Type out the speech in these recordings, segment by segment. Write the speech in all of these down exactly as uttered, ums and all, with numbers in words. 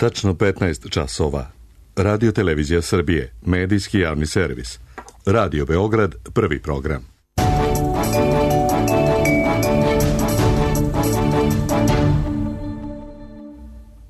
Tačno petnaest časova. Radio Televizija Srbije, medijski javni servis. Radio Beograd, prvi program.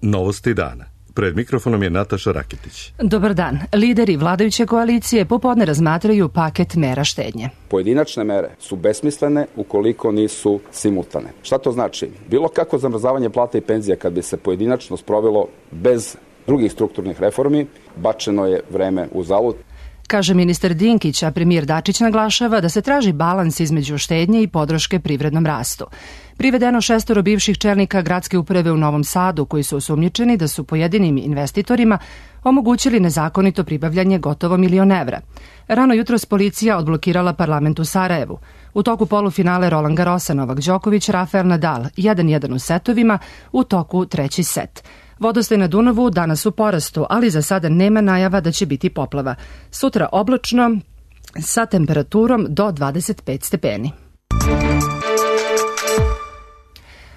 Novosti dana. Pred mikrofonom je Nataša Rakitić. Dobar dan. Lideri vladajuće koalicije popodne razmatraju paket mera štednje. Pojedinačne mere su besmislene ukoliko nisu simultane. Šta to znači? Bilo kako zamrzavanje plata i penzija kad bi se pojedinačno sprovelo bez drugih strukturnih reformi, bačeno je vreme uzalud. Kaže ministar Dinkić, a premijer Dačić naglašava da se traži balans između štednje i podrške privrednom rastu. Privedeno šestoro bivših čelnika gradske uprave u Novom Sadu koji su osumnjičeni da su pojedinim investitorima omogućili nezakonito pribavljanje gotovo milion evra. Rano jutros policija odblokirala parlament u Sarajevu. U toku polufinale Roland Garrosa Novak Đoković, Rafael Nadal jedan jedan u setovima, u toku treći set. Vodostaj na Dunavu danas u porastu, ali za sada nema najava da će biti poplava. Sutra oblačno sa temperaturom do dvadeset pet stepeni.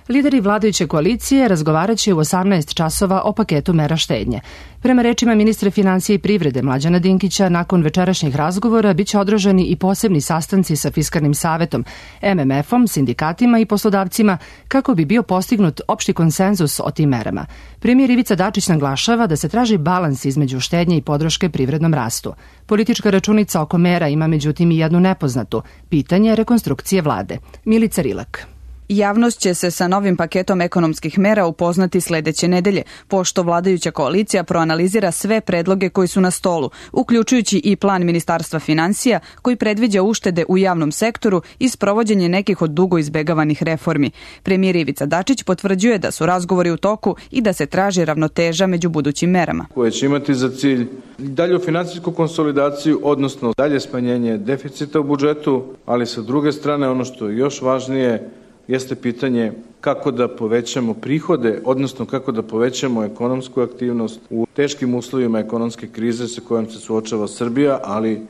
Lideri vladajuće koalicije razgovarat će u osamnaest časova o paketu mera štednje. Prema rečima ministra financije i privrede Mlađana Dinkića, nakon večerašnjih razgovora biće održani i posebni sastanci sa Fiskalnim savetom, em em efom, sindikatima i poslodavcima kako bi bio postignut opšti konsenzus o tim merama. Premijer Ivica Dačić naglašava da se traži balans između štednje i podrške privrednom rastu. Politička računica oko mera ima međutim i jednu nepoznatu, pitanje rekonstrukcije vlade. Milica Rilak. Javnost će se sa novim paketom ekonomskih mera upoznati sledeće nedelje, pošto vladajuća koalicija proanalizira sve predloge koji su na stolu, uključujući i plan Ministarstva financija koji predviđa uštede u javnom sektoru i sprovođenje nekih od dugo izbegavanih reformi. Premijer Ivica Dačić potvrđuje da su razgovori u toku i da se traži ravnoteža među budućim merama. Koje će imati za cilj dalju finansijsku konsolidaciju, odnosno dalje smanjenje deficita u budžetu, ali sa druge strane ono što je još važnije jeste pitanje kako da povećamo prihode, odnosno kako da povećamo ekonomsku aktivnost u teškim uslovima ekonomske krize sa kojom se suočava Srbija, ali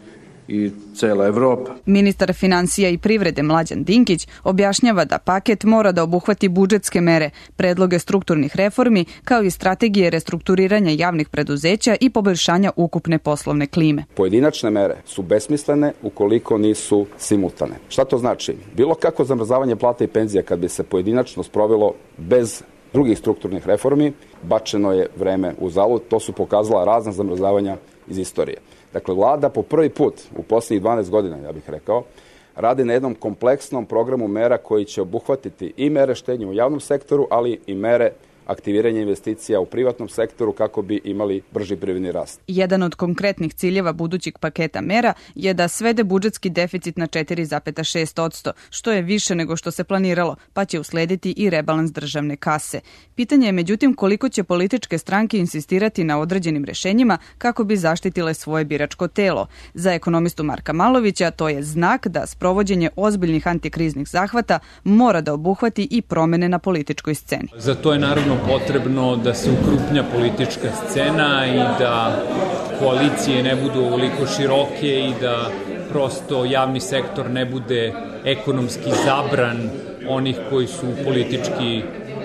i cela Evropa. Ministar financija i privrede Mlađan Dinkić objašnjava da paket mora da obuhvati budžetske mere, predloge strukturnih reformi, kao i strategije restrukturiranja javnih preduzeća i poboljšanja ukupne poslovne klime. Pojedinačne mere su besmislene ukoliko nisu simultane. Šta to znači? Bilo kako zamrzavanje plata i penzija kad bi se pojedinačno sprovelo bez drugih strukturnih reformi, bačeno je vreme uzalud. To su pokazala razna zamrzavanja iz istorije. Dakle, vlada po prvi put u posljednjih dvanaest godina, ja bih rekao, radi na jednom kompleksnom programu mera koji će obuhvatiti i mere štednje u javnom sektoru, ali i mere aktiviranja investicija u privatnom sektoru kako bi imali brži privredni rast. Jedan od konkretnih ciljeva budućeg paketa mera je da svede budžetski deficit na četiri zarez šest posto, što je više nego što se planiralo, pa će uslediti i rebalans državne kase. Pitanje je međutim koliko će političke stranke insistirati na određenim rešenjima kako bi zaštitile svoje biračko telo. Za ekonomistu Marka Malovića to je znak da sprovođenje ozbiljnih antikriznih zahvata mora da obuhvati i promene na političkoj sceni. Za to je naravno potrebno da se ukrupnja politička scena i da koalicije ne budu ovoliko široke i da prosto javni sektor ne bude ekonomski zabran onih koji su politički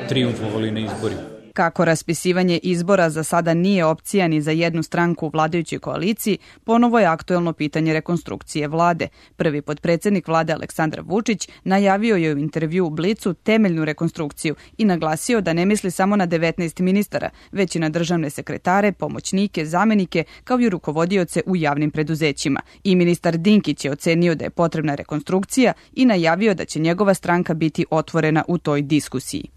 trijumfovali na izborima. Kako raspisivanje izbora za sada nije opcija ni za jednu stranku u vladajućoj koaliciji, ponovo je aktuelno pitanje rekonstrukcije vlade. Prvi potpredsednik vlade Aleksandar Vučić najavio je u intervju u Blicu temeljnu rekonstrukciju i naglasio da ne misli samo na devetnaest ministara, već i na državne sekretare, pomoćnike, zamenike, kao i rukovodioce u javnim preduzećima. I ministar Dinkić je ocenio da je potrebna rekonstrukcija i najavio da će njegova stranka biti otvorena u toj diskusiji.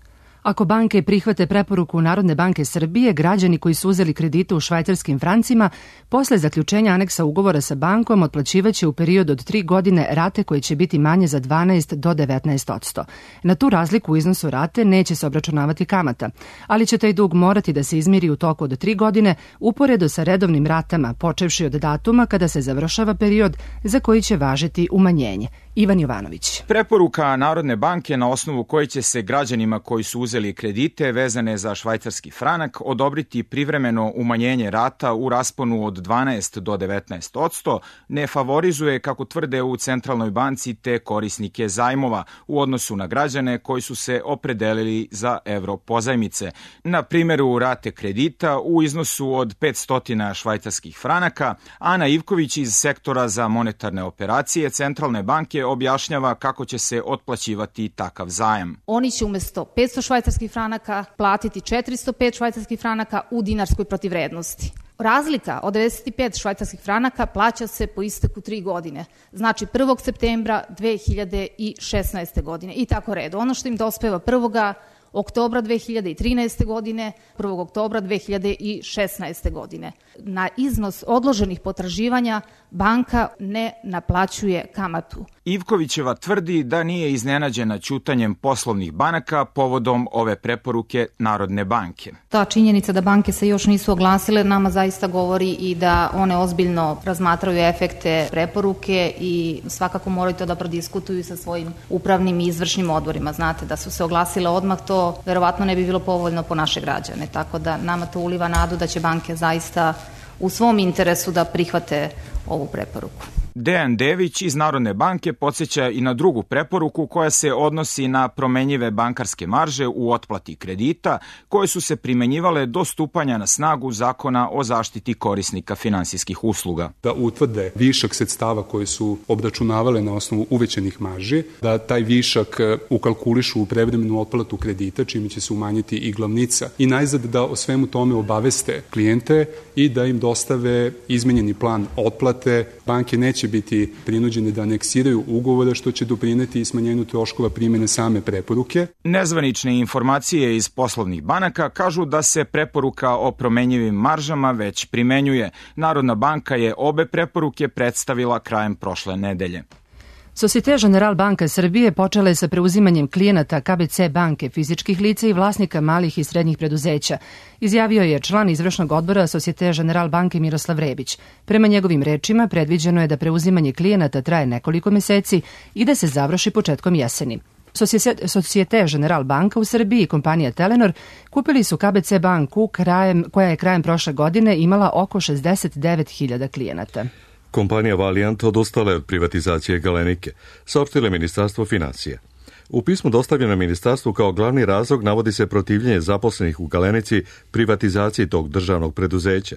Ako banke prihvate preporuku Narodne banke Srbije, građani koji su uzeli kredite u švajcarskim francima, posle zaključenja aneksa ugovora sa bankom otplaćivaće u periodu od tri godine rate koje će biti manje za dvanaest do devetnaest posto. Na tu razliku u iznosu rate neće se obračunavati kamata, ali će taj dug morati da se izmiri u toku od tri godine uporedo sa redovnim ratama, počevši od datuma kada se završava period za koji će važiti umanjenje. Ivan Jovanović. Preporuka Narodne banke na osnovu koje će se građanima koji su uzeli uzeli kredite vezane za švajcarski franak, odobriti privremeno umanjenje rata u rasponu od dvanaest do devetnaest odsto, ne favorizuje, kako tvrde u Centralnoj banci, te korisnike zajmova u odnosu na građane koji su se opredelili za evro pozajmice. Na primjeru rate kredita u iznosu od petsto švajcarskih franaka, Ana Ivković iz sektora za monetarne operacije Centralne banke objašnjava kako će se otplaćivati takav zajam. Oni će umjesto petsto švajcarskih franaka platiti četiristo pet švajcarskih franaka u dinarskoj protivvrednosti. Razlika od devedeset pet švajcarskih franaka plaća se po isteku tri godine, znači prvog septembra dve hiljade šesnaeste. godine i tako redu. Ono što im dospeva prvog oktobra dve hiljade trinaeste. godine, prvog oktobra dve hiljade šesnaeste. godine. Na iznos odloženih potraživanja banka ne naplaćuje kamatu. Ivkovićeva tvrdi da nije iznenađena ćutanjem poslovnih banaka povodom ove preporuke Narodne banke. Ta činjenica da banke se još nisu oglasile nama zaista govori i da one ozbiljno razmatraju efekte preporuke i svakako moraju to da prodiskutuju sa svojim upravnim i izvršnim odborima. Znate, da su se oglasile odmah, to verovatno ne bi bilo povoljno po naše građane, tako da nama to uliva nadu da će banke zaista u svom interesu da prihvate ovu preporuku. Dejan Dević iz Narodne banke podsjeća i na drugu preporuku koja se odnosi na promenjive bankarske marže u otplati kredita koje su se primenjivale do stupanja na snagu Zakona o zaštiti korisnika finansijskih usluga. Da utvrde višak sredstava koje su obračunavale na osnovu uvećanih marži, da taj višak ukalkulišu u prevremenu otplatu kredita, čime će se umanjiti i glavnica. I najzad da o svemu tome obaveste klijente i da im dostave izmenjeni plan otplate. Banke neće biti prinuđeni da aneksiraju ugovore, što će doprineti i smanjenju troškova primjene same preporuke. Nezvanične informacije iz poslovnih banaka kažu da se preporuka o promenjivim maržama već primenjuje. Narodna banka je obe preporuke predstavila krajem prošle nedelje. Societe Generale Banka Srbije počela je sa preuzimanjem klijenata K B C banke, fizičkih lica i vlasnika malih i srednjih preduzeća, izjavio je član izvršnog odbora Societe Generale Banke Miroslav Rebić. Prema njegovim rečima, predviđeno je da preuzimanje klijenata traje nekoliko meseci i da se završi početkom jeseni. Societe Generale Banka u Srbiji i kompanija Telenor kupili su K B C banku krajem, koja je krajem prošle godine imala oko šezdeset devet hiljada klijenata. Kompanija Valiant odustala je od privatizacije Galenike, saopštilo je Ministarstvo financija. U pismu dostavljenom ministarstvu kao glavni razlog navodi se protivljenje zaposlenih u Galenici privatizaciji tog državnog preduzeća.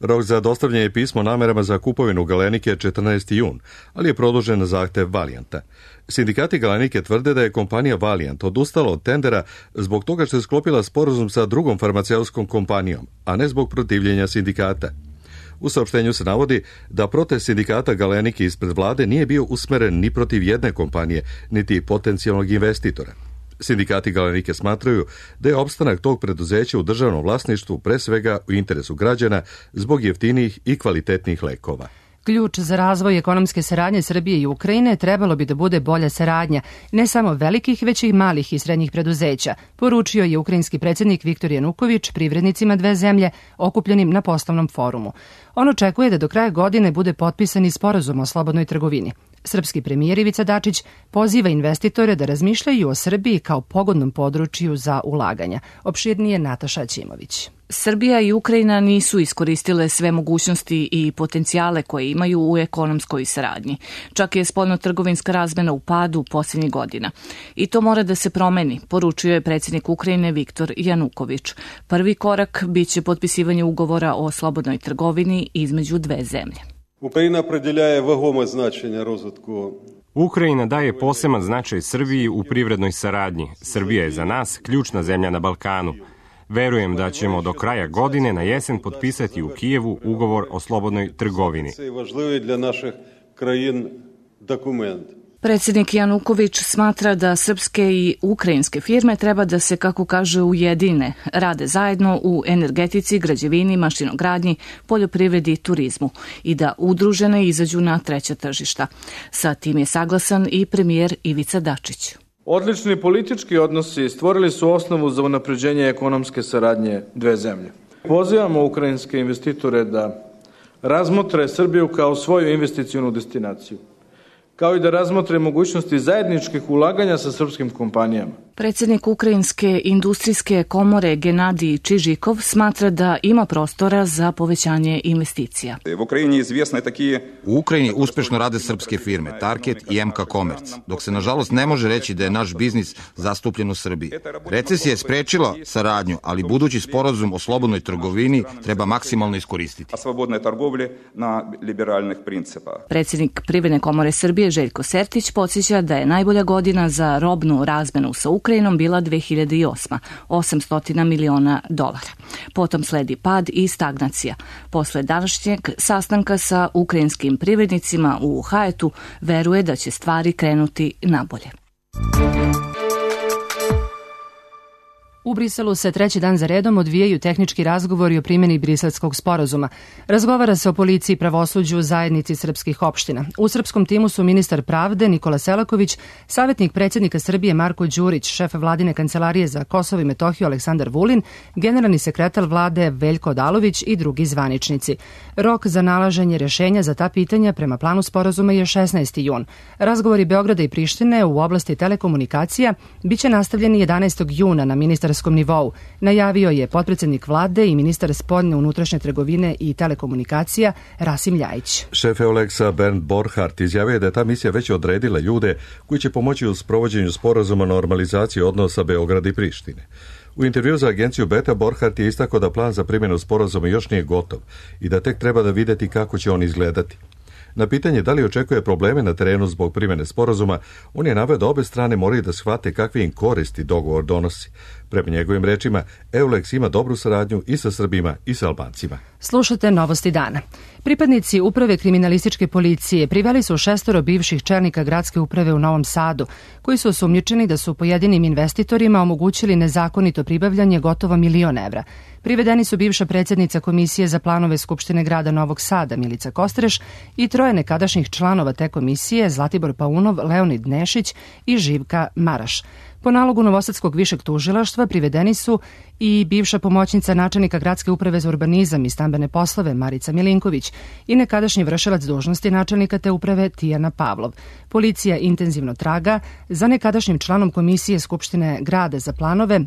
Rok za dostavljanje pismo namerama za kupovinu Galenike je četrnaesti jun, ali je produžen na zahtev Valianta. Sindikati Galenike tvrde da je kompanija Valiant odustala od tendera zbog toga što je sklopila sporazum sa drugom farmaceutskom kompanijom, a ne zbog protivljenja sindikata. U saopštenju se navodi da protest sindikata Galenike ispred vlade nije bio usmeren ni protiv jedne kompanije, niti potencijalnog investitora. Sindikati Galenike smatraju da je opstanak tog preduzeća u državnom vlasništvu pre svega u interesu građana zbog jeftinijih i kvalitetnih lekova. Ključ za razvoj ekonomske saradnje Srbije i Ukrajine trebalo bi da bude bolja saradnja, ne samo velikih, već i malih i srednjih preduzeća, poručio je ukrajinski predsjednik Viktor Januković privrednicima dve zemlje okupljenim na poslovnom forumu. On očekuje da do kraja godine bude potpisan i sporazum o slobodnoj trgovini. Srpski premijer Ivica Dačić poziva investitore da razmišljaju o Srbiji kao pogodnom području za ulaganja. Opširnije Nataša Ćimović. Srbija i Ukrajina nisu iskoristile sve mogućnosti i potencijale koje imaju u ekonomskoj saradnji. Čak je spoljno-trgovinska razmena u padu posljednjih godina. I to mora da se promeni, poručio je predsjednik Ukrajine Viktor Januković. Prvi korak biće potpisivanje ugovora o slobodnoj trgovini između dve zemlje. Ukrajina определяє вагоме значення розвитку. Ukrajina daje poseban značaj Srbiji u privrednoj saradnji. Srbija je za nas ključna zemlja na Balkanu. Verujem da ćemo do kraja godine na jesen potpisati u Kijevu ugovor o slobodnoj trgovini. Це важливий для наших країн документ. Predsjednik Januković smatra da srpske i ukrajinske firme treba da se, kako kaže, ujedine, rade zajedno u energetici, građevini, mašinogradnji, poljoprivredi i turizmu i da udružene izađu na treća tržišta. Sa tim je saglasan i premijer Ivica Dačić. Odlični politički odnosi stvorili su osnovu za unapređenje ekonomske saradnje dve zemlje. Pozivamo ukrajinske investitore da razmotre Srbiju kao svoju investicionu destinaciju, kao i da razmotre mogućnosti zajedničkih ulaganja sa srpskim kompanijama. Predsjednik Ukrajinske industrijske komore Genadij Čižikov smatra da ima prostora za povećanje investicija. U Ukrajini uspešno rade srpske firme Target i M K Commerce, dok se nažalost ne može reći da je naš biznis zastupljen u Srbiji. Recesija je sprečila saradnju, ali budući sporazum o slobodnoj trgovini treba maksimalno iskoristiti. Predsjednik Privredne komore Srbije Željko Sertić podsjeća da je najbolja godina za robnu razmenu sa Ukrajinom bila dve hiljade osma, osamsto miliona dolara. Potom sledi pad i stagnacija. Posle današnjeg sastanka sa ukrajinskim privrednicima u Hajetu veruje da će stvari krenuti nabolje. U Briselu se treći dan za redom odvijaju tehnički razgovori o primjeni Briselskog sporazuma. Razgovara se o policiji, pravosuđu, zajednici srpskih opština. U srpskom timu su ministar pravde Nikola Selaković, savjetnik predsjednika Srbije Marko Đurić, šef vladine kancelarije za Kosovo i Metohiju Aleksandar Vulin, generalni sekretar vlade Veljko Odalović i drugi zvaničnici. Rok za nalaženje rješenja za ta pitanja prema planu sporazuma je šesnaesti jun. Razgovori Beograda i Prištine u oblasti telekomunikacija biće nastavljeni jedanaestog juna na ministar nivou, najavio je potpredsjednik vlade i ministar spoljne unutrašnje trgovine i telekomunikacija Rasim Ljajić. Šef Euleksa Bernd Borchardt izjavio je da je ta misija već odredila ljude koji će pomoći u sprovođenju sporazuma normalizacije odnosa Beograda i Prištine. U intervju za agenciju Beta Borchardt je istakao da plan za primjenu sporazuma još nije gotov i da tek treba da videti kako će on izgledati. Na pitanje da li očekuje probleme na terenu zbog primjene sporazuma, on je naveo da obe strane moraju da shvate kakve im koristi dogovor donosi. Prema njegovim rečima, Euleks ima dobru saradnju i sa Srbima i sa Albancima. Slušate Novosti dana. Pripadnici Uprave kriminalističke policije priveli su šestoro bivših čelnika gradske uprave u Novom Sadu, koji su osumnjičeni da su pojedinim investitorima omogućili nezakonito pribavljanje gotovo milion evra. Privedeni su bivša predsjednica Komisije za planove Skupštine grada Novog Sada Milica Kostreš i troje nekadašnjih članova te komisije Zlatibor Paunov, Leonid Nešić i Živka Maraš. Po nalogu Novosadskog višeg tužilaštva privedeni su i bivša pomoćnica načelnika gradske uprave za urbanizam i stambene poslove Marica Milinković i nekadašnji vršilac dužnosti načelnika te uprave Tijana Pavlov. Policija intenzivno traga za nekadašnjim članom Komisije Skupštine grada za planove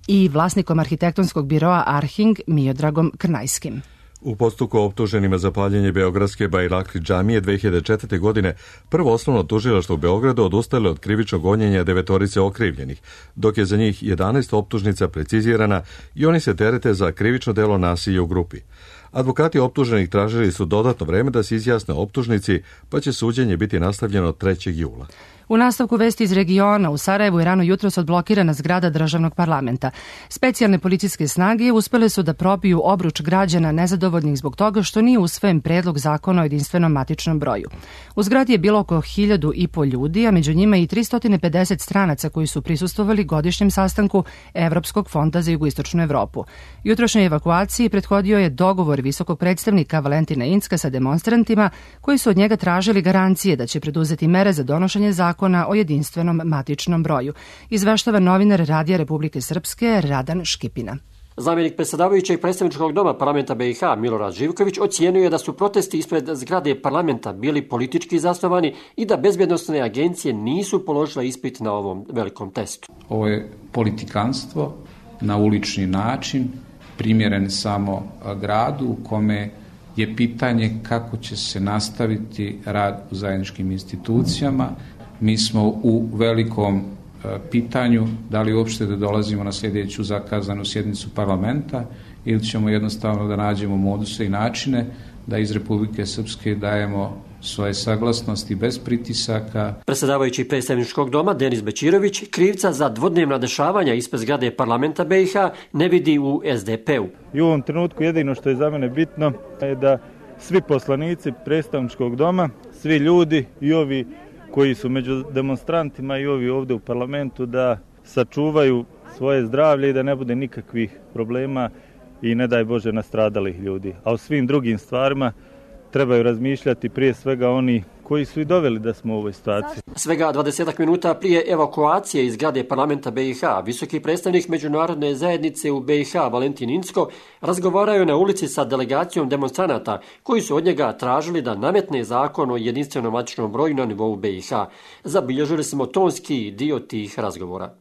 i vlasnikom arhitektonskog biroa Arhing Miodragom Krnajskim. U postupku optuženima za paljenje Beogradske Bajrakli džamije dve hiljade četvrte. godine prvo osnovno tužilaštvo u Beogradu odustalo od krivičnog gonjenja devetorice okrivljenih, dok je za njih jedanaest optužnica precizirana i oni se terete za krivično delo nasilja u grupi. Advokati optuženih tražili su dodatno vreme da se izjasne optužnici, pa će suđenje biti nastavljeno trećeg jula. U nastavku vesti iz regiona, u Sarajevu je rano jutros odblokirana zgrada državnog parlamenta. Specijalne policijske snage uspele su da probiju obruč građana nezadovoljnih zbog toga što nije usvojen predlog zakona o jedinstvenom matičnom broju. U zgradi je bilo oko hiljadu i po ljudi, a među njima i tristo pedeset stranaca koji su prisustvovali godišnjem sastanku Evropskog fonda za jugoistočnu Evropu. Jutrošnjoj evakuaciji prethodio je dogovor visokog predstavnika Valentina Incka sa demonstrantima koji su od njega tražili garancije da će preduzeti mere za donošenje zakona o jedinstvenom matičnom broju. Izveštava novinar Radija Republike Srpske Radan Škipina. Zamjenik predsjedavajućeg predstavničkog doma parlamenta B i H Milorad Živković ocijenio je da su protesti ispred zgrade parlamenta bili politički zasnovani i da bezbjednosne agencije nisu položile ispit na ovom velikom testu. Ovo je politikanstvo na ulični način, primjeren samo gradu u kome je pitanje kako će se nastaviti rad u zajedničkim institucijama. Mi smo u velikom pitanju da li uopšte da dolazimo na sljedeću zakazanu sjednicu parlamenta ili ćemo jednostavno da nađemo moduse i načine da iz Republike Srpske dajemo svoje saglasnosti bez pritisaka. Predsjedavajući predstavničkog doma Denis Bećirović krivca za dvodnevna dešavanja ispred zgrade parlamenta B i H ne vidi u S D P-u. I u ovom trenutku jedino što je za mene bitno je da svi poslanici predstavničkog doma, svi ljudi i ovi koji su među demonstrantima i ovi ovdje u parlamentu da sačuvaju svoje zdravlje i da ne bude nikakvih problema i ne daj Bože nastradalih ljudi. A o svim drugim stvarima trebaju razmišljati prije svega oni koji su i doveli da smo u ovoj situaciji. Svega dvadesetak minuta prije evakuacije iz zgrade parlamenta B i H, visoki predstavnik međunarodne zajednice u B i H Valentin Incko razgovarao je na ulici sa delegacijom demonstranata koji su od njega tražili da nametne zakon o jedinstvenom matičnom broju na nivou B i H. Zabilježili smo tonski dio tih razgovora.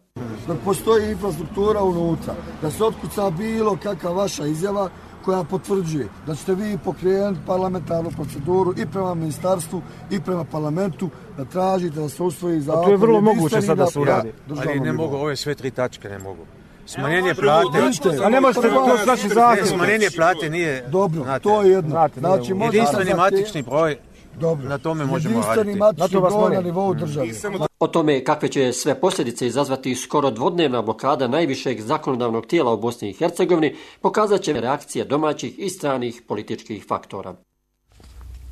dok postoji infrastruktura unutra, da se otkuca bilo kakva vaša izjava koja potvrđuje da ćete vi pokrenuti parlamentarnu proceduru i prema ministarstvu i prema parlamentu da tražite da se usvoji zakon. A to je vrlo moguće sad da se uradi. Ali ne mogu, ove sve tri tačke ne mogu. Smanjenje plate. A ne možete to s našim zakonom. Smanjenje plate nije... Dobro, to je jedno. Znači, jedinstveni matični broj, na tome možemo raditi. Jedinstveni matični broj na nivou države. O tome kakve će sve posljedice izazvati skoro dvodnevna blokada najvišeg zakonodavnog tijela u Bosni i Hercegovini pokazat će reakcije domaćih i stranih političkih faktora.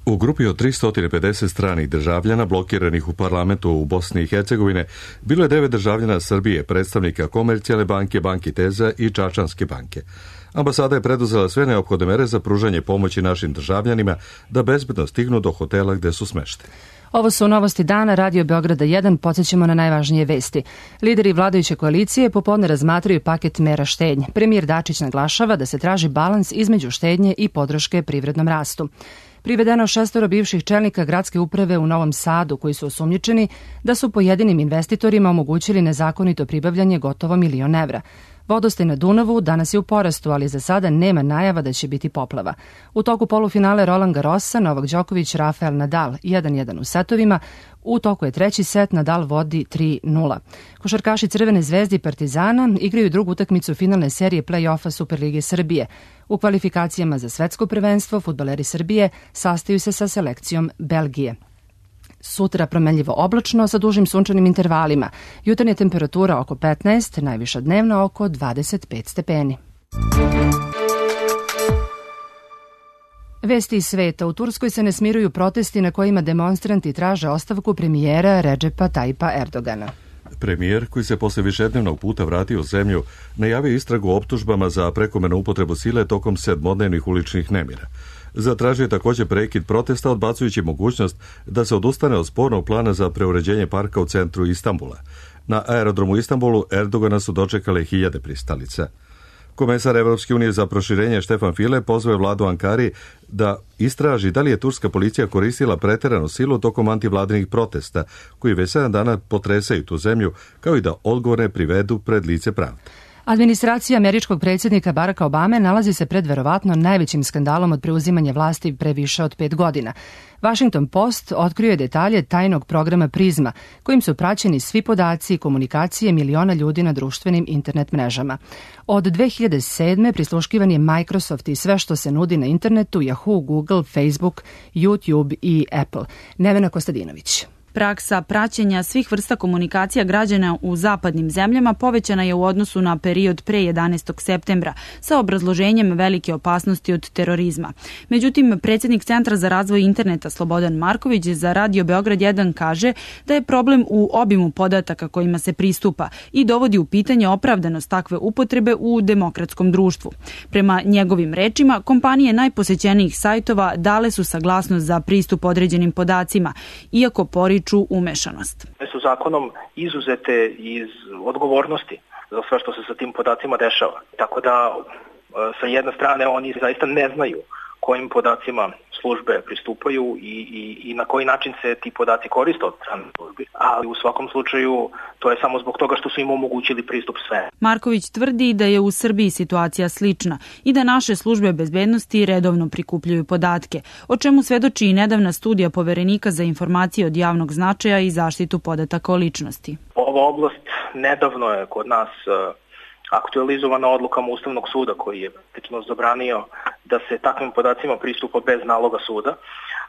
U grupi od tristo pedeset stranih državljana blokiranih u parlamentu u Bosni i Hercegovine bilo je devet državljana Srbije, predstavnika Komercijalne banke, Banke Teza i Čačanske banke. Ambasada je preduzela sve neophodne mere za pružanje pomoći našim državljanima da bezbedno stignu do hotela gde su smešteni. Ovo su novosti dana, Radio Beograda jedan, podsjećamo na najvažnije vesti. Lideri vladajuće koalicije popodne razmatraju paket mera štednje. Premijer Dačić naglašava da se traži balans između štednje i podrške privrednom rastu. Privedeno šestoro bivših čelnika gradske uprave u Novom Sadu koji su osumnjičeni da su pojedinim investitorima omogućili nezakonito pribavljanje gotovo milion evra. Vodostaj na Dunavu danas je u porastu, ali za sada nema najava da će biti poplava. U toku polufinale Roland Garrosa, Novak Đoković, Rafael Nadal jedan jedan u setovima. U toku je treći set, Nadal vodi tri nula. Košarkaši Crvene zvezde i Partizana igraju drugu utakmicu finalne serije play-offa Superlige Srbije. U kvalifikacijama za svetsko prvenstvo fudbaleri Srbije sastaju se sa selekcijom Belgije. Sutra promenljivo oblačno sa dužim sunčanim intervalima. Jutarnja temperatura oko petnaest, najviša dnevna oko dvadeset pet stepeni. Vesti iz sveta. U Turskoj se ne smiruju protesti na kojima demonstranti traže ostavku premijera Redžepa Tajpa Erdogana. Premijer, koji se posle višednevnog puta vratio u zemlju, najavio istragu o optužbama za prekomernu upotrebu sile tokom sedmodnevnih uličnih nemira. Zatražio je također prekid protesta, odbacujući mogućnost da se odustane od spornog plana za preuređenje parka u centru Istanbula. Na aerodromu Istanbulu Erdogana su dočekale hiljade pristalica. Komesar Evropske unije za proširenje Štefan File pozvao je vladu Ankari da istraži da li je turska policija koristila preteranu silu tokom antivladinih protesta, koji već sedam dana potresaju tu zemlju, kao i da odgovorne privedu pred lice pravde. Administracija američkog predsjednika Baracka Obame nalazi se pred verovatno najvećim skandalom od preuzimanja vlasti pre više od pet godina. Washington Post otkrio je detalje tajnog programa Prizma, kojim su praćeni svi podaci i komunikacije miliona ljudi na društvenim internet mrežama. Od dve hiljade sedme prisluškivan je Microsoft i sve što se nudi na internetu, Yahoo, Google, Facebook, YouTube i Apple. Nevena Kostadinović. Praksa praćenja svih vrsta komunikacija građana u zapadnim zemljama povećana je u odnosu na period pre jedanaestog septembra sa obrazloženjem velike opasnosti od terorizma. Međutim, predsjednik Centra za razvoj interneta Slobodan Marković za Radio Beograd jedan kaže da je problem u obimu podataka kojima se pristupa i dovodi u pitanje opravdanost takve upotrebe u demokratskom društvu. Prema njegovim rečima, kompanije najposećenijih sajtova dale su saglasnost za pristup određenim podacima, iako poriču umešanost. Su zakonom izuzete iz odgovornosti za sve što se sa tim podacima dešava. Tako da sa jedne strane oni zaista ne znaju kojim podacima službe pristupaju i, i, i na koji način se ti podaci koriste od strane službi. Ali u svakom slučaju to je samo zbog toga što su im omogućili pristup sve. Marković tvrdi da je u Srbiji situacija slična i da naše službe bezbednosti redovno prikupljaju podatke, o čemu svedoči i nedavna studija Poverenika za informacije od javnog značaja i zaštitu podataka o ličnosti. Ova oblast nedavno je kod nas aktualizovana odlukama Ustavnog suda koji je praktično zabranio da se takvim podacima pristupa bez naloga suda,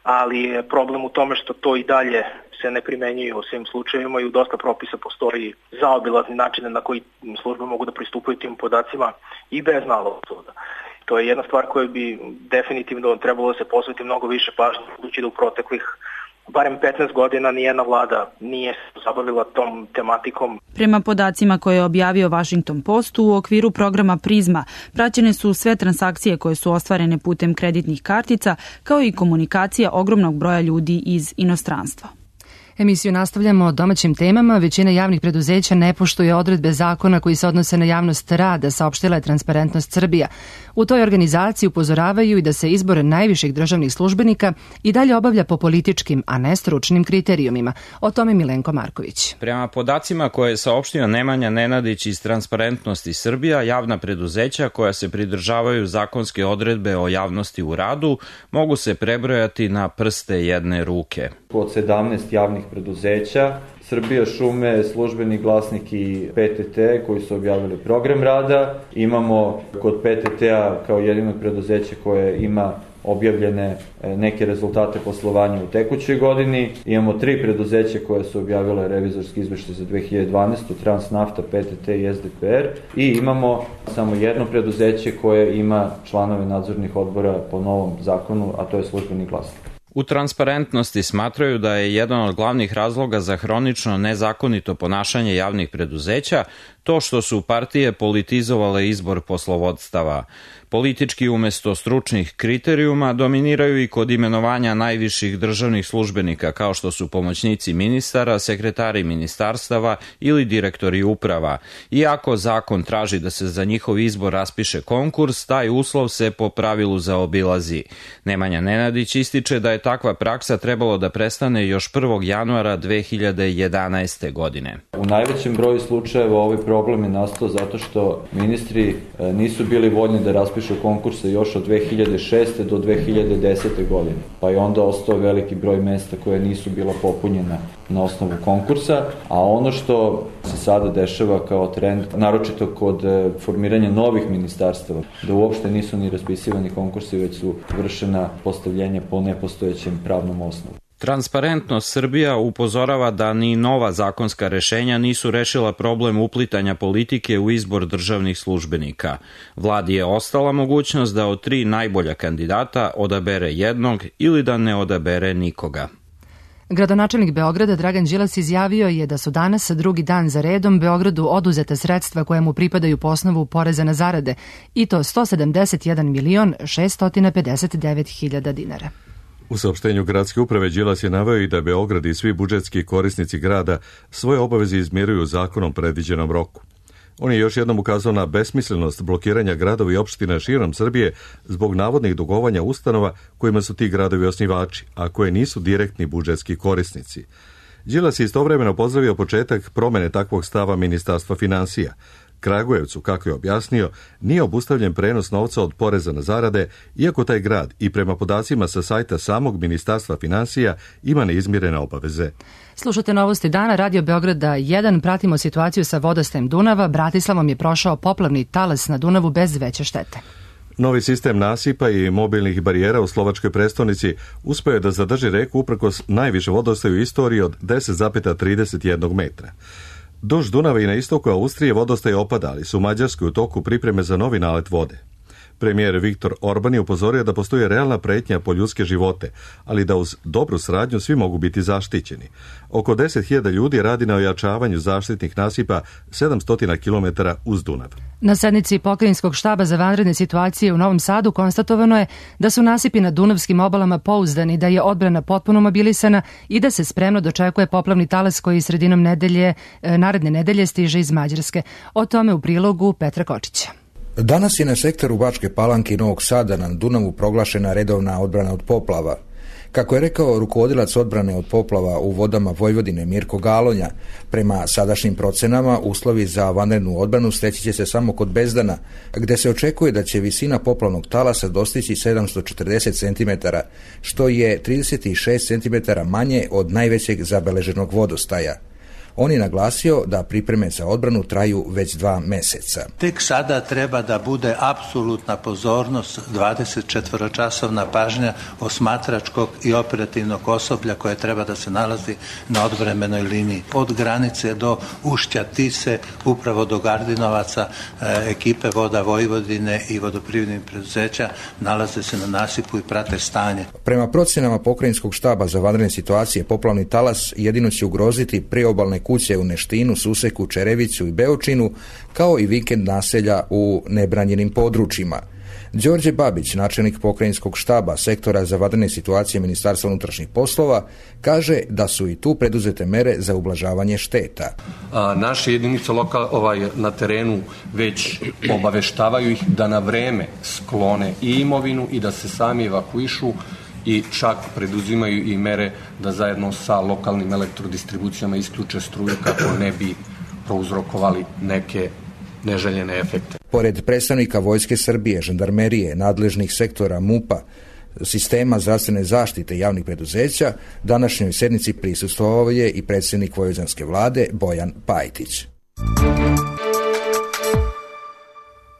ali je problem u tome što to i dalje se ne primenjuje u svim slučajevima i u dosta propisa postoji zaobilazni načine na koji službe mogu da pristupaju tim podacima i bez naloga suda. To je jedna stvar koja bi definitivno trebalo da se posveti mnogo više pažnje, budući da u proteklih barem petnaest godina nijedna vlada nije se zabavila tom tematikom. Prema podacima koje je objavio Washington Post, u okviru programa Prizma praćene su sve transakcije koje su ostvarene putem kreditnih kartica, kao i komunikacija ogromnog broja ljudi iz inostranstva. Emisiju nastavljamo domaćim temama. Većina javnih preduzeća ne poštuje odredbe zakona koji se odnose na javnost rada, saopštila je Transparentnost Srbija. U toj organizaciji upozoravaju i da se izbor najviših državnih službenika i dalje obavlja po političkim, a ne stručnim kriterijumima. O tome Milenko Marković. Prema podacima koje je saopštio Nemanja Nenadić iz Transparentnosti Srbija, javna preduzeća koja se pridržavaju zakonske odredbe o javnosti u radu mogu se prebrojati na prste jedne ruke. Od sedamnaest javnih preduzeća, Srbija šume, Službeni glasnik i P T T koji su objavili program rada. Imamo kod P T T-a kao jedino preduzeće koje ima objavljene neke rezultate poslovanja u tekućoj godini. Imamo tri preduzeća koje su objavile revizorski izveštaj za dve hiljade dvanaestu. Transnafta, P T T i S D P R. I imamo samo jedno preduzeće koje ima članove nadzornih odbora po novom zakonu, a to je Službeni glasnik. U Transparentnosti smatraju da je jedan od glavnih razloga za hronično nezakonito ponašanje javnih preduzeća to što su partije politizovale izbor poslovodstava. Politički umesto stručnih kriterijuma dominiraju i kod imenovanja najviših državnih službenika kao što su pomoćnici ministara, sekretari ministarstava ili direktori uprava. Iako zakon traži da se za njihov izbor raspiše konkurs, taj uslov se po pravilu zaobilazi. Nemanja Nenadić ističe da je takva praksa trebalo da prestane još prvog januara dve hiljade jedanaeste. godine. U najvećem broju slučajeva ovaj problem je nastao zato što ministri nisu bili voljni da raspišu konkurse još od dve hiljade šeste. do dve hiljade desete. godine. Pa je onda ostao veliki broj mesta koje nisu bila popunjena na osnovu konkursa, a ono što se sada dešava kao trend, naročito kod formiranja novih ministarstava, da uopšte nisu ni raspisivani konkursi, već su vršena postavljenja po nepostojećem pravnom osnovu. Transparentnost Srbija upozorava da ni nova zakonska rešenja nisu rešila problem uplitanja politike u izbor državnih službenika. Vladi je ostala mogućnost da od tri najbolja kandidata odabere jednog ili da ne odabere nikoga. Gradonačelnik Beograda Dragan Đilas izjavio je da su danas drugi dan za redom Beogradu oduzeta sredstva koja mu pripadaju po osnovu poreza na zarade, i to sto sedamdeset jedan milion šeststo pedeset devet hiljada dinara. U saopštenju gradske uprave Đilas je naveo i da Beograd i svi budžetski korisnici grada svoje obaveze izmiruju u zakonom predviđenom roku. On je još jednom ukazao na besmislenost blokiranja gradova i opština širom Srbije zbog navodnih dugovanja ustanova kojima su ti gradovi osnivači, a koje nisu direktni budžetski korisnici. Đilas je istovremeno pozdravio početak promene takvog stava Ministarstva finansija. Kragujevcu, kako je objasnio, nije obustavljen prenos novca od poreza na zarade, iako taj grad i prema podacima sa sajta samog Ministarstva finansija ima neizmirene obaveze. Slušate Novosti dana, Radio Beograda jedan, pratimo situaciju sa vodostajem Dunava. Bratislavom je prošao poplavni talas na Dunavu bez veće štete. Novi sistem nasipa i mobilnih barijera u slovačkoj prestonici uspeo je da zadrži reku uprkos najviše vodostaju u istoriji od deset zarez trideset jedan metra. Duž Dunava i na istoku Austrije vodostaj opada, ali su u Mađarskoj u toku pripreme za novi nalet vode. Premijer Viktor Orban je upozorio da postoji realna pretnja po ljudske živote, ali da uz dobru saradnju svi mogu biti zaštićeni. Oko deset hiljada ljudi radi na ojačavanju zaštitnih nasipa sedamsto kilometara uz Dunav. Na sednici Pokrajinskog štaba za vanredne situacije u Novom Sadu konstatovano je da su nasipi na dunavskim obalama pouzdani, da je odbrana potpuno mobilisana i da se spremno dočekuje poplavni talas koji sredinom nedelje, naredne nedelje stiže iz Mađarske. O tome u prilogu Petra Kočića. Danas je na sektoru Bačke Palanke i Novog Sada na Dunavu proglašena redovna odbrana od poplava. Kako je rekao rukovodilac odbrane od poplava u vodama Vojvodine Mirko Galonja, prema sadašnjim procenama uslovi za vanrednu odbranu steći će se samo kod Bezdana, gde se očekuje da će visina poplavnog talasa dostići sedamsto četrdeset centimetara, što je trideset šest centimetara manje od najvećeg zabeleženog vodostaja. On je naglasio da pripreme za odbranu traju već dva meseca. Tek sada treba da bude apsolutna pozornost, dvadesetčetvoročasovna pažnja osmatračkog i operativnog osoblja koje treba da se nalazi na odbrambenoj liniji. Od granice do ušća Tise, upravo do Gardinovaca, ekipe Voda Vojvodine i vodoprivrednih preduzeća nalaze se na nasipu i prate stanje. Prema procenama Pokrajinskog štaba za vanredne situacije, poplavni talas jedino će ugroziti priobalne kuće u Neštinu, Suseku, Čereviću i Beočinu, kao i vikend naselja u nebranjenim područjima. Đorđe Babić, načelnik pokrajinskog štaba sektora za vanredne situacije Ministarstva unutrašnjih poslova, kaže da su i tu preduzete mere za ublažavanje šteta. A, naše jedinice lokal, ovaj, na terenu već obaveštavaju ih da na vreme sklone i imovinu i da se sami evakuišu i čak preduzimaju i mere da zajedno sa lokalnim elektrodistribucijama isključe struju kako ne bi prouzrokovali neke neželjene efekte. Pored predstavnika Vojske Srbije, žandarmerije, nadležnih sektora MUP-a, sistema zdravstvene zaštite i javnih preduzeća, današnjoj sednici prisustvovao je i predsjednik vojvođanske vlade Bojan Pajtić.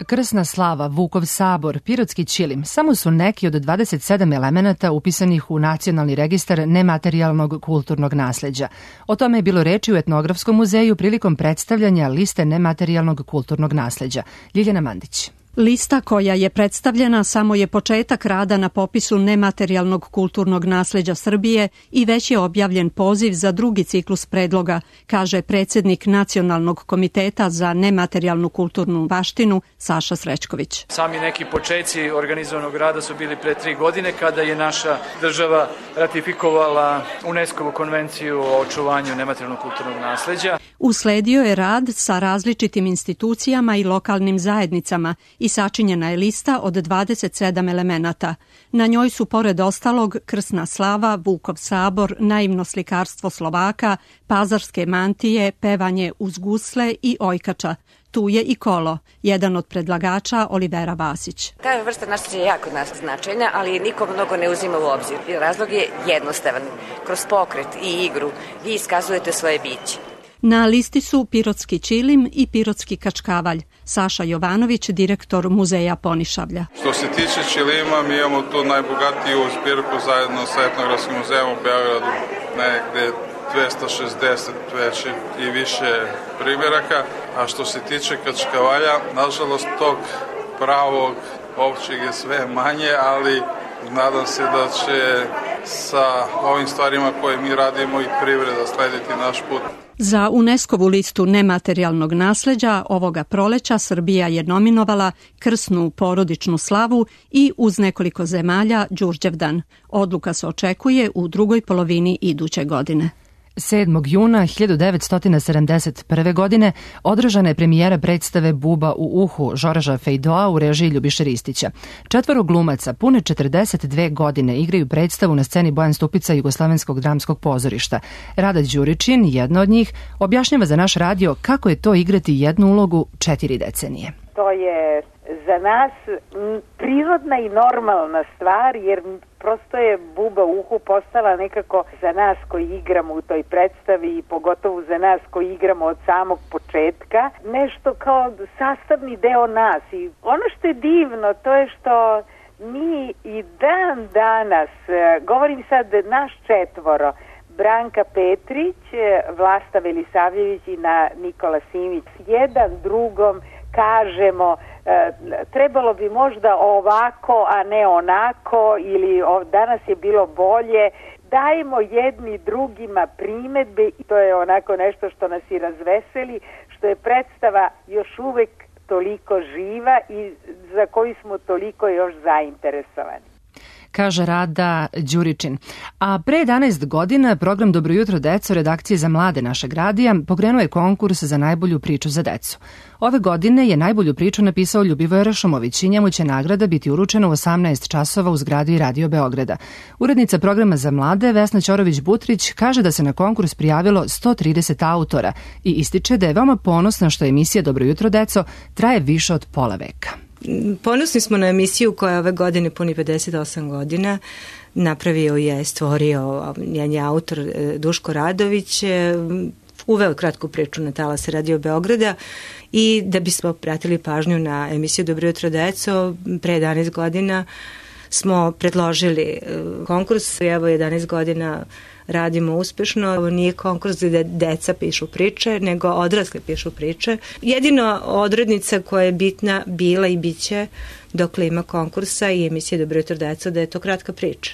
Krsna slava, Vukov sabor, Pirotski ćilim samo su neki od dvadeset sedam elemenata upisanih u Nacionalni registar nematerijalnog kulturnog nasleđa. O tome je bilo reči u Etnografskom muzeju prilikom predstavljanja liste nematerijalnog kulturnog nasleđa. Ljiljana Mandić. Lista koja je predstavljena samo je početak rada na popisu nematerijalnog kulturnog nasleđa Srbije i već je objavljen poziv za drugi ciklus predloga, kaže predsjednik Nacionalnog komiteta za nematerijalnu kulturnu baštinu Saša Srećković. Sami neki počeci organizovanog rada su bili pre tri godine kada je naša država ratifikovala UNESCO-vu konvenciju o očuvanju nematerijalnog kulturnog nasleđa. Usledio je rad sa različitim institucijama i lokalnim zajednicama i sačinjena je lista od dvadeset sedam elemenata. Na njoj su pored ostalog krsna slava, Vukov sabor, naivno slikarstvo Slovaka, pazarske mantije, pevanje uz gusle i ojkača. Tu je i kolo, jedan od predlagača Olivera Vasić. Ta vrsta nasleđa je jako značajna, ali niko mnogo ne uzima u obzir. Razlog je jednostavan. Kroz pokret i igru vi iskazujete svoje biće. Na listi su Pirotski ćilim i Pirotski kačkavalj. Saša Jovanović, direktor muzeja Ponišavlja. Što se tiče ćilima, mi imamo tu najbogatiju zbirku zajedno sa Etnografskim muzejom u Beogradu, negde dvesta šezdeset već i više primjeraka. A što se tiče kačkavalja, nažalost tog pravog ovčeg je sve manje, ali nadam se da će sa ovim stvarima koje mi radimo i privreda slediti naš put. Za UNESCO-vu listu nematerijalnog nasleđa ovoga proleća Srbija je nominovala krsnu porodičnu slavu i uz nekoliko zemalja Đurđevdan. Odluka se očekuje u drugoj polovini iduće godine. sedmog juna hiljadu devetsto sedamdeset prve. godine održana je premijera predstave Buba u uhu Žorža Fejdoa u režiji Ljubiše Ristića. Četvoro glumaca pune četrdeset dve godine igraju predstavu na sceni Bojan Stupica Jugoslovenskog dramskog pozorišta. Rada Đuričin, jedna od njih, objašnjava za naš radio kako je to igrati jednu ulogu četiri decenije. To je za nas prirodna i normalna stvar, jer prosto je Buba u uhu postala nekako za nas koji igramo u toj predstavi i pogotovo za nas koji igramo od samog početka, nešto kao sastavni deo nas. I ono što je divno, to je što mi i dan danas, govorim sad naš četvoro, Branka Petrić, Vlasta Velisavljević i na Nikola Simić, jedan drugom kažemo e, trebalo bi možda ovako, a ne onako, ili o, danas je bilo bolje. Dajemo jedni drugima primedbe i to je onako nešto što nas i razveseli, što je predstava još uvek toliko živa i za koju smo toliko još zainteresovani. Kaže Rada Đuričin. A pre jedanaest godina program Dobro jutro deco redakcije za mlade našeg radija pokrenuo je konkurs za najbolju priču za decu. Ove godine je najbolju priču napisao Ljubivoje Rašomović i njemu će nagrada biti uručena u osamnaest časova u zgradi Radio Beograda. Urednica programa za mlade Vesna Ćorović-Butrić kaže da se na konkurs prijavilo sto trideset autora i ističe da je veoma ponosna što emisija Dobro jutro deco traje više od pola veka. Ponosni smo na emisiju koja ove godine puni pedeset osam godina. Napravio je, stvorio, njen je autor Duško Radović, uveo kratku priču na talase Radio Beograda i da bismo pratili pažnju na emisiju Dobro jutro deco, pre jedanaest godina smo predložili konkurs i evo jedanaest godina radimo uspešno. Ovo nije konkurs gde deca pišu priče, nego odrasli pišu priče. Jedino odrednica koja je bitna bila i biće dokle ima konkursa i emisije Dobro jutro deco da je to kratka priča.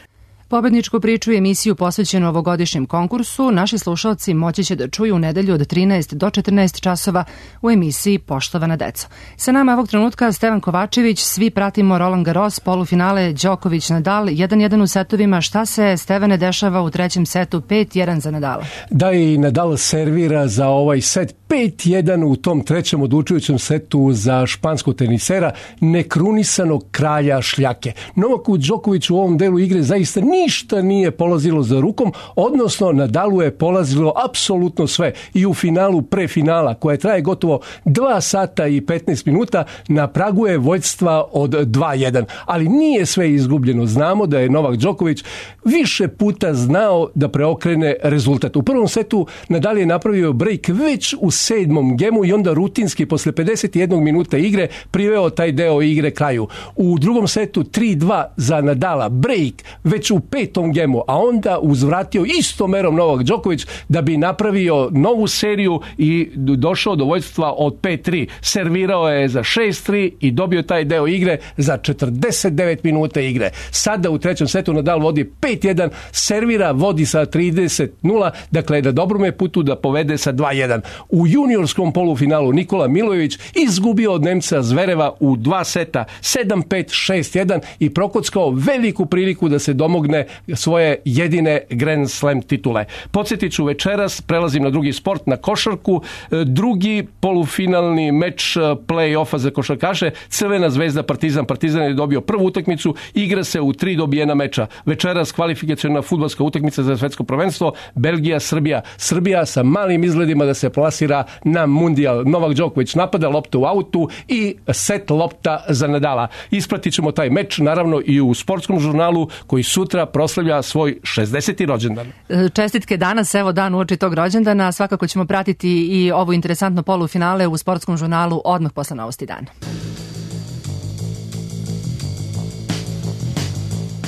Pobedničku priču i emisiju posvećenu ovogodišnjem konkursu naši slušalci moći će da čuju u nedelju od trinaest do četrnaest časova u emisiji Poštovana deco. Sa nama ovog trenutka Stevan Kovačević, svi pratimo Roland Garros, polufinale Đoković-Nadal, jedan jedan u setovima. Šta se, Stevane, dešava u trećem setu, pet jedan za Nadala? Da, i Nadal servira za ovaj set pet jedan u tom trećem odlučujućem setu za španskog tenisera, nekrunisanog kralja šljake. Novaku Đokoviću u ovom delu igre zaista ništa nije polazilo za rukom, odnosno Nadalu je polazilo apsolutno sve. I u finalu pre finala, koja traje gotovo dva sata i petnaest minuta, na pragu je vođstva od dva jedan. Ali nije sve izgubljeno. Znamo da je Novak Đoković više puta znao da preokrene rezultat. U prvom setu Nadal je napravio break već u sedmom gemu i onda rutinski posle pedeset jednog minuta igre priveo taj deo igre kraju. U drugom setu tri dva za Nadala, break već u petom gemu, a onda uzvratio istom merom Novak Đoković da bi napravio novu seriju i došao do vođstva od pet tri. Servirao je za šest tri i dobio taj deo igre za četrdeset devet minuta igre. Sada u trećem setu Nadal vodi pet jedan, servira, vodi sa trideset nula, dakle na dobrom je putu da povede sa dva jedan. U juniorskom polufinalu Nikola Milojević izgubio od Nemca Zvereva u dva seta sedam pet, šest jedan i prokockao veliku priliku da se domogne svoje jedine Grand Slam titule. Podsjetit ću, večeras prelazim na drugi sport, na košarku. Drugi polufinalni meč play-offa za košarkaše, Crvena zvezda Partizan. Partizan je dobio prvu utakmicu, igra se u tri dobijena meča. Večeras kvalifikaciona fudbalska utakmica za svetsko prvenstvo, Belgija, Srbija. Srbija sa malim izgledima da se plasira na mundijal. Novak Đoković napada, lopta u autu i set lopta za Nadala. Ispratit ćemo taj meč naravno i u sportskom žurnalu koji sutra proslavlja svoj šezdeseti rođendan. Čestitke danas, evo dan uoči tog rođendana. Svakako ćemo pratiti i ovo interesantno polufinale u sportskom žurnalu odmah posle novosti dana.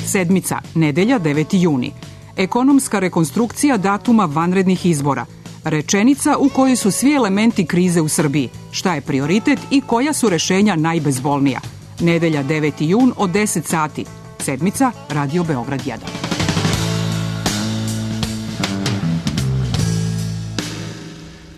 Sedmica, nedelja, deveti juni. Ekonomska rekonstrukcija datuma vanrednih izbora. Rečenica u kojoj su svi elementi krize u Srbiji. Šta je prioritet i koja su rešenja najbezbolnija. Nedelja, deveti jun od deset sati. Sedmica, Radio Beograd jedan.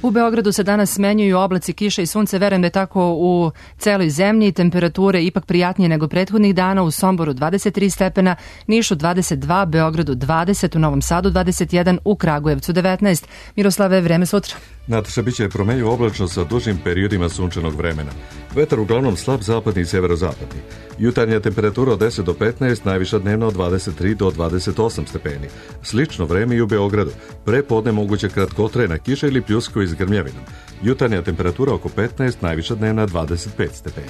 U Beogradu se danas smenjuju oblaci, kiša i sunce, verujem da je tako u celoj zemlji. Temperature ipak prijatnije nego prethodnih dana, u Somboru dvadeset tri stepena, Nišu dvadeset dva, Beogradu dvadeset, u Novom Sadu dvadeset jedan, u Kragujevcu devetnaest. Miroslave, vreme sutra. Nataša, bit će promenljivo oblačno sa dužim periodima sunčanog vremena. Vetar uglavnom slab zapadni i severozapadni. Jutarnja temperatura od deset do petnaest, najviša dnevna od dvadeset tri do dvadeset osam stepeni. Slično vreme i u Beogradu. Pre podne moguće kratkotrajna kiša ili pljuskovi s grmljavinom. Jutarnja temperatura oko petnaest, najviša dnevna dvadeset pet stepeni.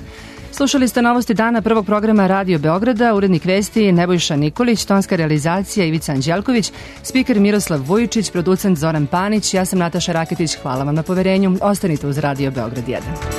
Slušali ste novosti dana prvog programa Radio Beograda, urednik vesti Nebojša Nikolić, tonska realizacija Ivica Anđelković, spiker Miroslav Vujičić, producent Zoran Panić, ja sam Nataša Raketić, hvala vam na poverenju, ostanite uz Radio Beograd jedan.